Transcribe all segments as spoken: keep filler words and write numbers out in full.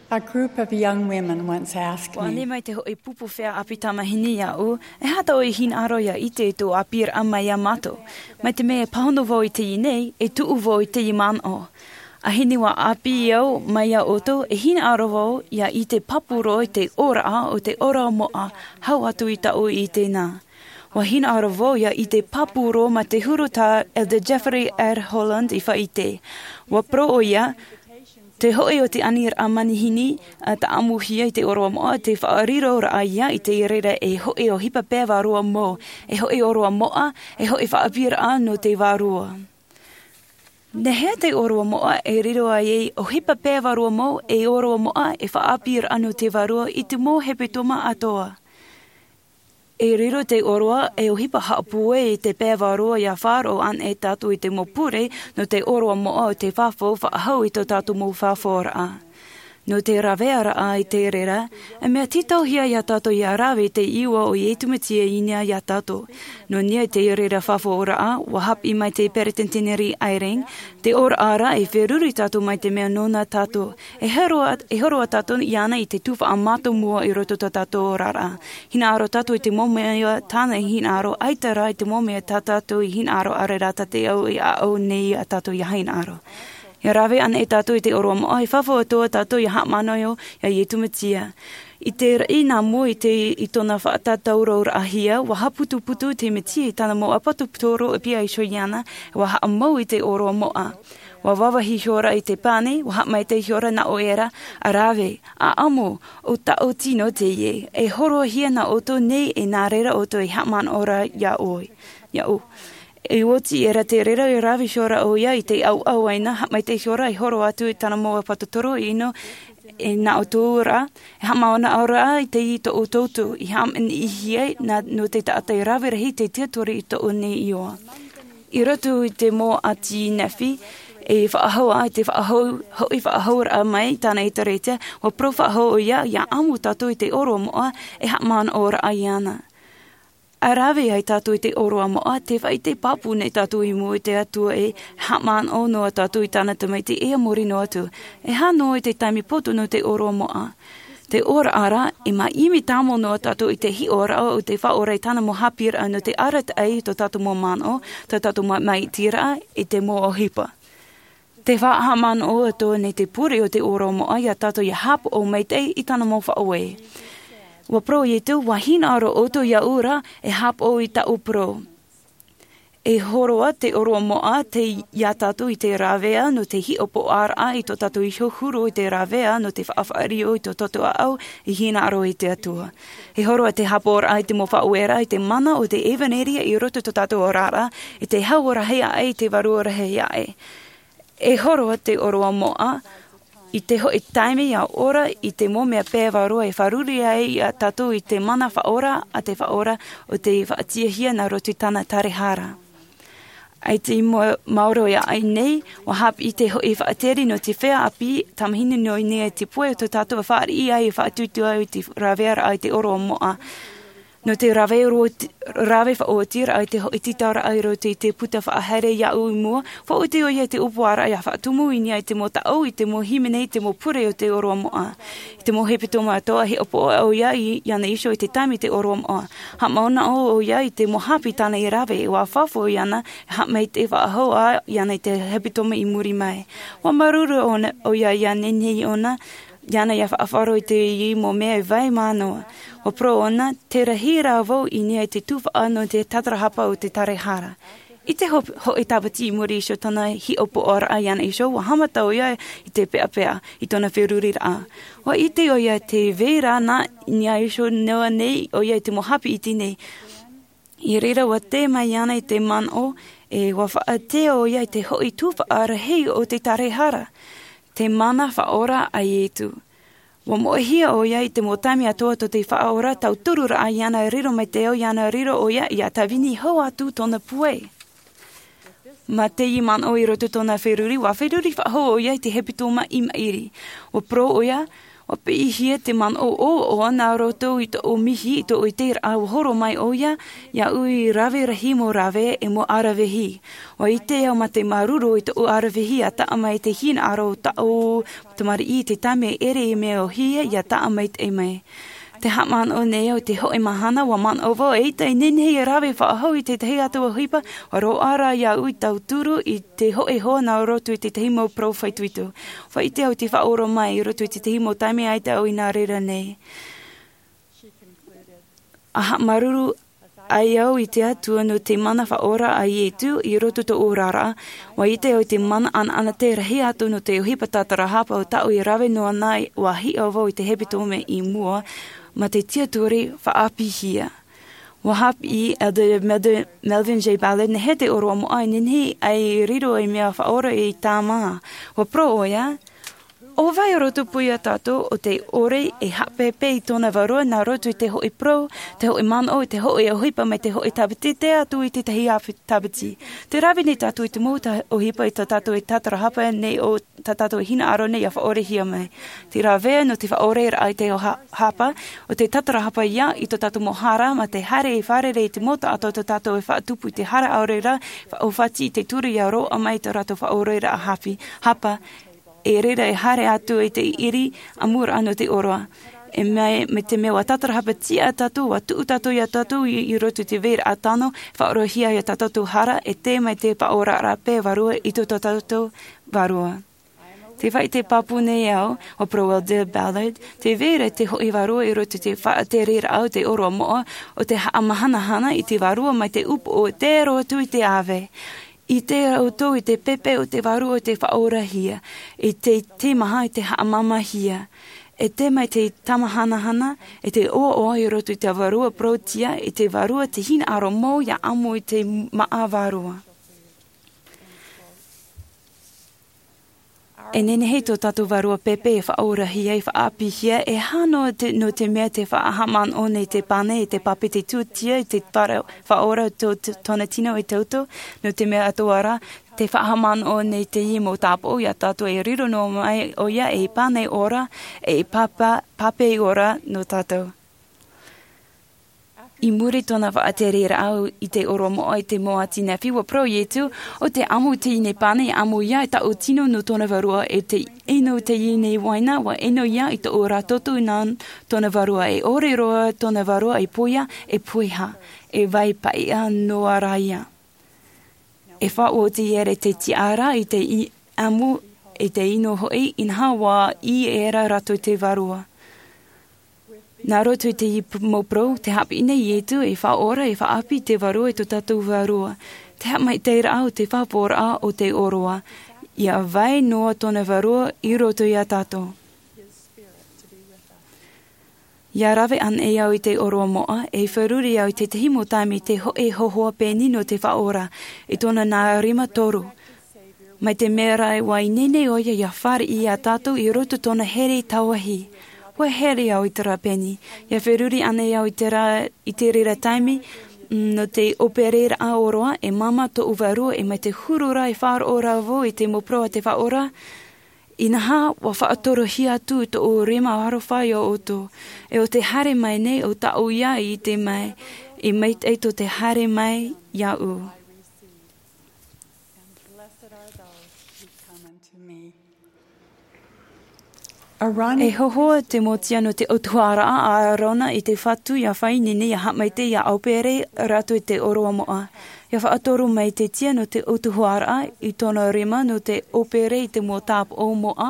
A group of young women once asked me, ʻua ʻite mai te hoʻi pupu feiā ʻāpī tamahine iāʻu, e aha tā ʻoe hinaʻaro ʻia ʻite i tō ʻāpīraʻa mai iā mātou? Mai te mea e pāhono vau i teie nei, e tuʻu vau i teie manaʻo. ʻAhani ʻua ʻāpī au mai iā ʻoutou, e hinaʻaro vau ʻia ʻite pāpū roa i te ʻōraʻa o te ʻōroʻa moʻa, hau atu i taʻu i teie nei. ʻUa hinaʻaro vau ʻia ʻite pāpū roa mā te huru tā Elder Jeffrey R. Holland i faʻaʻite. ʻUa parau ʻoia, te hoʻi o te aniraʻa manihini, ʻa tāʻamuhia i te ʻōroʻa moʻa, te faʻariroraʻa ia i te reira e hoʻi ʻohipa pae vārua mau, e hoʻi ʻōroʻa moʻa, e hoʻi faʻaʻāpīraʻa nō te Vārua. Nāhea te ʻōroʻa moʻa e riro ai ʻohipa pae vārua mau, e ʻōroʻa moʻa, e faʻaʻāpīraʻa nō te Vārua i te mau hepetoma atoʻa? E riro te ʻōroʻa e ʻohipa haʻapūai i te pae vārua ʻia faʻaroʻo anaʻe tātou i te mau pure nō te ʻōroʻa moʻa o te fafau faʻahou i tō tātou mau fafauraʻa. Nō te ravearaʻa i te reira, e mea tītauhia iā tātou ʻia rave i te iʻoa o Iesu Mesia i niʻa iā tātou. Nō niʻa i te reira fafauraʻa, ʻua haʻapiʻi mai te Peresideni Eyring, te ʻōraʻa ra e feruri tātou mai te mea nōna tātou. E hōroʻa, e hōroʻa tātou iāna i te tuhaʻa mātāmua i roto i tō tātou oraraʻa. Hinaʻaro tātou i te mau mea tāna i hinaʻaro, ʻaita rā i te mau mea tā tātou i hinaʻaro, ʻaore rā tā te au i ʻaʻau nei iā tātou ʻia hinaʻaro. ʻIa rave anaʻe tātou i te ʻōroʻa moʻa, e fafau atoʻa tātou ʻia haʻamanaʻo iā Iesu Mesia. I te raʻi nā mua i te, i tōna faʻatātauraʻahia, ʻua haʻaputuputu te Mesia i tāna mau ʻāpōsetolo e piha iho iāna, ʻua haʻamau i te ʻōroʻa moʻa. ʻUa vāvāhi ihora i te pane, ʻua haʻamaitaʻi ihora nā ʻoe ra, ʻa rave, ʻa ʻamo, ʻo tāʻu tino teie, e hōroʻahia nā ʻoutou nei e nā reira ʻoutou e haʻamanaʻo ra iā ʻoe, iāʻu. E oti era te reira e rave ihora ʻoia i te ʻauʻauaina, haʻamaitaʻi ihora e hōroʻa atu i tāna mau ʻāpōsetolo ʻino, e nā ʻoutou ra, e haʻamanaʻo ra i te i tō ʻoutou tū, i haʻamaitaʻihia nā, nō te taʻata e rave rahi te tiatori i tō ʻō nei iʻoa. I roto i te mau ʻāti nehenehe, e faʻahou ai te faʻahou, hoʻi faʻahouraʻa mai i tāna ʻēkālesia, ʻua parau faʻahou ʻoia, ʻia ʻamo tātou i te ʻōroʻa moʻa, e haʻamanaʻoraʻa iāna. ʻA rave ai tātou i te ʻōroʻa moʻa, tē faʻaʻite pāpū nei tātou i mua i te Atua e haʻamanaʻo noa tātou i tāna tamaiti e a muri noa atu. E aha noa i te taime poto nō te ʻōroʻa moʻa. Te ʻōraʻa ra, e mea ʻimi tāmau noa tātou i te hiʻoraʻa o te Faʻaora i tāna mau haʻapiʻiraʻa nō te arataʻi i tō tātou mau manaʻo, tō tātou mau maitaʻiraʻa, i te mau ʻohipa. Tē faʻahaʻamanaʻo atoʻa nei te pure o te ʻōroʻa moʻa iā tātou ʻia haʻapaʻo maitaʻi i tāna mau faʻaue. ʻUa parau Iesu, ʻua hinaʻaro ʻoutou iāʻu ra, e haʻapaʻo i tāʻu parau. E hōroʻa te ʻōroʻa moʻa te, iā tātou i te rāveʻa nō te hiʻopoʻaraʻa i tō tātou iho huru i te rāveʻa nō te faʻafaʻario i tō tātou ʻāʻau i hinaʻaro i te Atua. E hōroʻa te haʻapaʻoraʻa i te mau faʻaueraʻa i te mana o te ʻevanelia i roto i tō tātou oraraʻa, i te hau rahi aʻe, i te vārua rahi aʻe. E hōroʻa te ʻōroʻa moʻa, i te hoʻi taime ʻia ora i te mau mea pae vārua e fārerei ai iā tātou i te mana faʻaora a te Faʻaora o te faʻatiʻahia nā roto i tāna tārehara. ʻAita i mau-, maoro ia ʻai nei, ʻua haʻapiʻi te hoʻi faʻatere nō te feiā ʻāpī tamahine nō niʻa i te pohe o tō tātou e fāriʻi ai e faʻatuatua ai i te rāvearaʻa i te ʻōroʻa moʻa. Nō te rave ro-, rave faʻaotiraʻa i te hoʻi tītauraʻa i roto i te puta faʻahaere iāʻu i mua, faʻaoti ʻoia i te ʻōpuaraʻa ʻia faʻatumu i niʻa i te mau taʻu, i te mau hīmene, i te mau pure o te ʻōroʻa moʻa. I te mau hepetoma atoʻa, hiʻopoʻa ʻoia i, iāna iho i te taime i te ʻōroʻa moʻa. Haʻamanaʻo ʻoia i te mau haʻapiʻi tāna i rave, ʻua fafau iāna, haʻamaitaʻi faʻahou ā iāna i te hepetoma i muri mai. ʻUa māuruuru ʻōna, ʻoia ʻia nehenehe ʻōna, iāna ʻia faʻaroʻo i teie mau mea e vai mā noa. ʻUa parau ʻōna, tē rahi rā vau i niʻa i te tuhaʻa nō te tatarahapa o te tārehara. I te ho-, hoʻi tāpati i muri iho tōna hiʻopoʻaraʻa iāna iho, ʻua haʻamata ʻoia i te peʻapeʻa i tōna feruriraʻa. ʻUa ʻite ʻoia tē vai ra na i niʻa iho noa nei ʻoia i te mau haʻapiʻi iti nei. I reira ʻua tae mai iāna i te manaʻo, e ʻua faʻatea ʻoia i te hoʻi tuhaʻa rahi o te tārehara, te mana faʻaora a Iesu. ʻUa moʻehia ʻoia i te mau taime atoʻa tō te Faʻaora, tautururaʻa iāna riro mai te ao, iāna riro ʻoia ʻia tāvini hau atu tōna puai. Mā teie manaʻo i roto i tōna feruri, ʻua feruri faʻahou ʻoia i te hepetoma i maʻiri. ʻUa parau ʻoia, ʻUa piʻihia te manaʻo ʻoaʻoa nā roto i tōʻu mihi, i tōʻu ʻiteraʻa, ʻua horo mai ʻoia iāʻu i rave rahi mau rave e mau ʻaravihi. ʻUa ʻite au mā te māuruuru i tōʻu ʻaravihi ʻia taʻa mai i te hinaʻaro o tāʻu tamariʻi i te taime e ʻere i mea ʻōhie ʻia taʻa maitaʻi mai. Tē haʻamanaʻo nei au i te hōʻē mahana, ʻua manaʻo vau, eʻita e nehenehe e rave faʻahou i te tahi atu ʻohipa, ʻua roaʻa rā iāʻu i tauturu i te hōʻē hoa nā roto i te tahi mau parau faʻaitoito. ʻUa ʻite au i te faʻaora mai i roto i te tahi mau taime ʻaita au i nā reira nei. ʻA haʻamāuruuru ai au i te Atua nō te mana faʻaora a Ietu i roto i tōʻu oraraʻa, ʻua ʻite au i te mana ʻanaʻanatae rahi atu nō te ʻohipa tātarahapa o tāʻu e rave noa na, ʻua hiʻo vau i te hepetoma i mua, mā te tiʻaturi faʻaāpīhia. ʻUa haʻapiʻi Elder Mel-, Melvin J. Ballard, nehenehe te ʻōroʻa moʻa e nehenehe ʻia riro ei mea faʻaora i tāmā. ʻUa parau ʻoia, ʻo vai roto pū ia tātou ʻo tē ʻore e haʻapēpē i tōna vārua nā roto i te hōʻē parau, te hōʻē manaʻo, i te hōʻē ʻohipa mai te hōʻē tāpiti, tae atu i te tahi ʻāpī tāpiti. Tē rave nei tātou i te mau ta-, ʻohipa i tā tātou e tātarahapa nei, ʻo tā tātou e hinaʻaro nei ʻia faʻaorehia mai. Te rāveʻa nō te faʻaoreraʻa i te ʻō ha-, hapa, ʻo te tātarahapa ïa i tō tātou mau hara, mā te haere i fārerei i te mau taʻata o tō tātou e faʻatupu i te hara ʻaore rā, faʻaʻōfati i te ture ʻia roaʻa mai i tō rātou faʻaoreraʻa hape, hapa, e reira e haere atu i te ʻiri ʻamuraʻa nō te ʻōroʻa. E mai, mai te mea ʻua tātarahapa tiʻa tātou, ʻua tuʻu tātou ia tātou i, i roto i te vairaʻa tano, faʻaorahia ia tā tātou hara, e tae mai te faʻaoraraʻa pae vārua i tō, tō tātou vārua. Tē faʻaʻite pāpū nei au, ʻua parau Elder Ballard, tē vai ra te hōʻē vārua i roto i te faʻatereraʻa o te ʻōroʻa moʻa, ʻo te haʻamahanahana i te vārua mai te upoʻo e tae roa atu i te ʻāvae. ʻIte ʻoutou i te pēpē o te vārua o te faʻaorahia, i te, te maha i te haʻamāmāhia. E tae mai te tāmahanahana, e te ʻoaʻoa i roto i te vārua parauʻtiʻa, i te vārua te hinaʻaro mau ʻia ʻamo i te māʻa vārua. E nehenehe tō tātou vārua pēpē e faʻaorahia, e faʻaāpīhia, e aha noa te, nō te mea tē faʻahaʻamanaʻo nei te pane, i te pāpeti tūtia, i te fara-, faʻaora tō, tō, tōna tino e te utu, nō te mea atoʻa rā, tē faʻahaʻamanaʻo nei teie mau tāpaʻo ia tātou e riro noa mai ʻoia ei pane ora, ei pāpā, pāpā ora nō tātou. I muri i tōna faʻatereraʻa i te ʻōroʻa moʻa i te mau ati nā fifi, ʻua parau Ietu, ʻo tē ʻamo i teie nei pane, ʻamo ïa i tāʻu tino nō tōna vārua, e tē ʻeno i teie nei uaina, ʻua ʻeno ïa i tōʻu ra toto nā tōna vārua, e ʻore roa tōna vārua e poia, e poiha, e vai paʻiʻa noa ra ïa. E faʻaoti ʻere te tiʻaraʻa i te i-, ʻamo, i te ʻino hoʻi, inaha ʻua ʻī ʻē ra rātou te vārua. Nā roto i te i-, p-, mau parau, tē haʻapiʻi nei Ietu, e faʻaora, e faʻaʻāpī te vārua i tō tātou vārua. Te haʻamaitaʻiraʻa o te faʻapoʻoraʻa o te ʻōroʻa. ʻIa vai noa tōna vārua i roto ia tātou. ʻIa rave anaʻe au i te ʻōroʻa moʻa, e feruri au i te tahi mau taime i te hōʻē hōhoʻa pēni nō te Faʻaora, i tōna nā rima toru. Mai te mea ra ʻua ineine ʻoia ʻia fāriʻi ia tātou i roto i tōna here tauahi. ʻUa here au i terā pēni. ʻIa feruri anaʻe au i terā, i te reira taime, mm, nō te ʻōpereraʻa ʻōroʻa, e māmā tōʻu vārua, e mai te huru ra e faʻaroʻo ra vau i te mau parau a te Faʻaora, inaha, ʻua faʻatorohia atu tōʻu rima aroha ia ʻoutou. E ʻo tē haere mai nei ʻo tāʻu ïa i ʻite mai, e maitaʻi tō te haere mai iāʻu. E hōhoʻa te mau tia nō te ʻautuharaʻa a ʻĀrona i te Fatu ʻia fāʻineine ʻia haʻamaitaʻi ʻia ʻaupere rātou i te ʻōroʻa moʻa. ʻIa faʻatoro mai te tia nō te ʻautuharaʻa i tōna rima nō te ʻōpere i te mau tāpaʻo moʻa,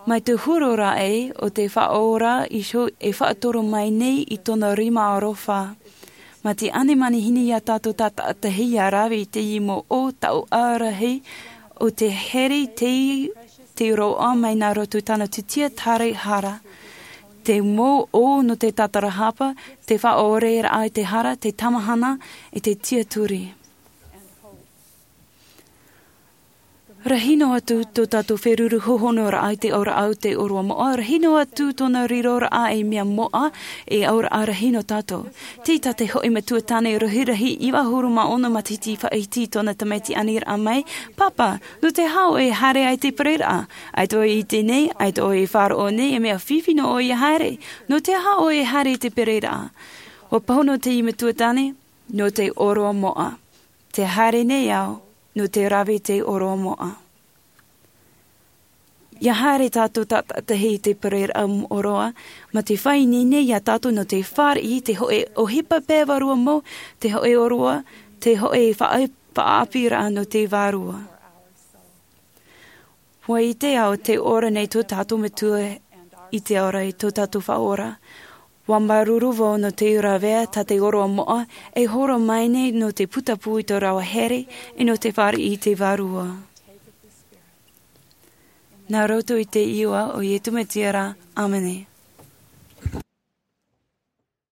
mai te huru ra ē ʻo te Faʻaora iho e faʻatoro mai nei i tōna rima aroha. Mā te ʻane manihini ia tātou tātaʻitahi ʻia rave i teie mau ʻō taʻu ʻārahi ʻo te here te, te roaʻa mai nā roto i tāna tūtia tere hara. Te mau ʻō nō te tātarahapa, te faʻaoreraʻa i te hara, te tamahana, e te tiʻaturi. Rahi noa atu tō tātou feruru hōhonu raʻa i te auraʻa o te ʻōroʻa moʻa, rahi noa atu tōna riroraʻa ei mea moʻa, e auraʻa rahi noa tātou. Tei tā te hoʻi matua tāne rahirahi iva ʻahuru mā ono matahiti faʻahiti tōna tamaiti aniraʻa mai, pāpā, nō te aha ʻoe e haere ai te pereraʻa? ʻAita ʻoe i ʻite nei, ʻaita ʻoe e faʻaroʻo nei e mea fifi nō ʻoe ia haere. Nō te aha ʻoe e haere i te pereraʻa? Ua pāhono te matua tāne, nō te ʻōroʻa moʻa. Te haere nei au nō te rave i te ʻōroʻa moʻa. Ia haere tātou tātaʻitahi i te pereraʻa moʻoroa, mā te faʻaineine iā tātou nō te fāriʻi te hoʻe ʻohipa pea vārua mau, te hoʻe ʻōroʻa, te hoʻe faʻa- faʻaʻāpīraʻa nō te vārua. Ua ʻite au te ora nei tō tātou matua i te ora i tō tātou faʻaora. Ua māuruuru vau nō te ravea tā te ʻōroʻa moʻa e horo mai nei nō te putapū i tō rāua here, e nō te fāriʻi i te vārua. Nā roto i te iʻoa o Iesu Mesia rā, ʻāmene.